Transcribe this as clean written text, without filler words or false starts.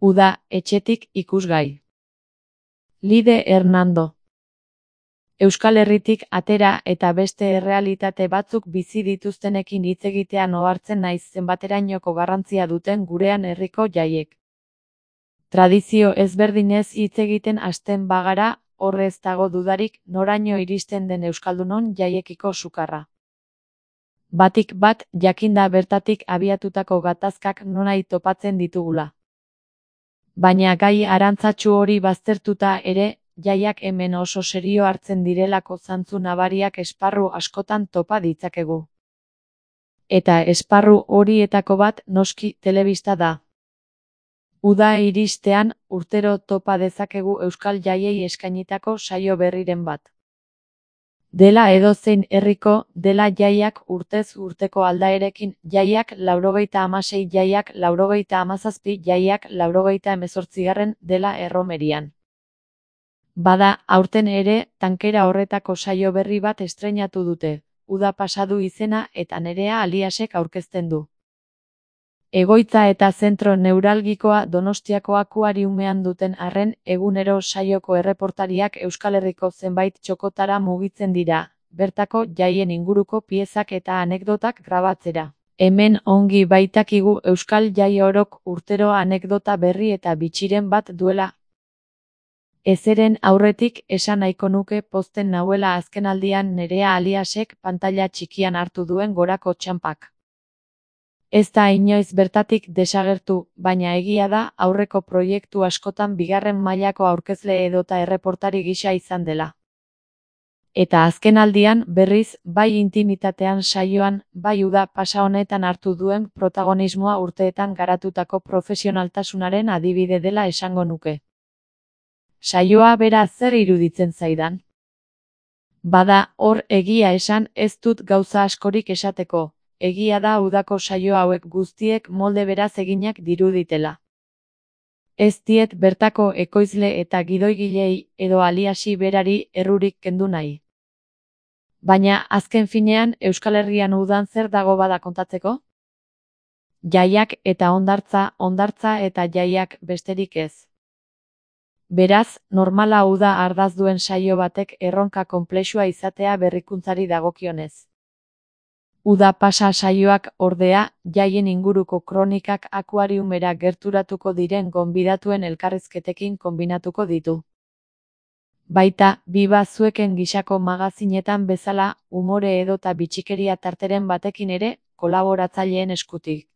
Uda, etxetik ikusgai. Lide Hernando. Euskal Herritik atera eta beste errealitate batzuk bizi dituztenekin hitz egitean ohartzen naiz zenbaterainoko garrantzia duten gurean herriko jaiek. Tradizio ezberdinez hitz egiten hasten bagara, hor ez dago dudarik noraino iristen den euskaldunon jaiekiko sukarra. Batik bat jakinda bertatik abiatutako gatazkak nonahi topatzen ditugula. Baina gai arantzatsu hori baztertuta ere, jaiak hemen oso serio hartzen direlako zantzu nabariak esparru askotan topa ditzakegu. Eta esparru horietako bat noski telebista da. Uda iristean, urtero topa dezakegu euskal jaiei eskainitako saio berriren bat. Dela edozein herriko, dela jaiak urtez urteko aldaerekin, jaiak 96, jaiak 97, jaiak 98, dela erromerian. Bada, aurten ere, tankera horretako saio berri bat estreinatu dute, Uda pasadu izena eta Nerea Aliasek aurkezten du. Egoitza eta zentro neuralgikoa Donostiako akuariumean duten arren, egunero saioko erreportariak Euskal Herriko zenbait txokotara mugitzen dira, bertako jaien inguruko piezak eta anekdotak grabatzera. Hemen ongi baitakigu Euskal Jai orok urtero anekdota berri eta bitxiren bat duela. Ezeren aurretik esan nahiko nuke pozten nauela azkenaldian Nerea Aliasek pantaila txikian hartu duen gorako txanpak. Ez da inoiz bertatik desagertu, baina egia da aurreko proiektu askotan bigarren mailako aurkezle edota erreportari gisa izan dela. Eta azkenaldian berriz, bai intimitatean saioan, bai Uda pasa honetan hartu duen protagonismoa urteetan garatutako profesionaltasunaren adibide dela esango nuke. Saioa bera zer iruditzen zaidan? Bada, hor egia esan ez dut gauza askorik esateko. Egia da udako saio hauek guztiek molde beraz eginak diruditela. Ez diet bertako ekoizle eta gidoigilei edo Aliasi berari errurik kendu nahi. Baina azken finean Euskal Herrian udan zer dago bada kontatzeko? Jaiak eta hondartza, hondartza eta jaiak besterik ez. Beraz, normala Uda ardaz duen saio batek erronka konplexua izatea berrikuntzari dagokionez. Uda pasa saioak ordea, jaien inguruko kronikak akuariumera gerturatuko diren gonbidatuen elkarrizketekin konbinatuko ditu. Baita, Biba Zueken gisako magazinetan bezala, umore edota bitxikeria tarteren batekin ere, kolaboratzaileen eskutik.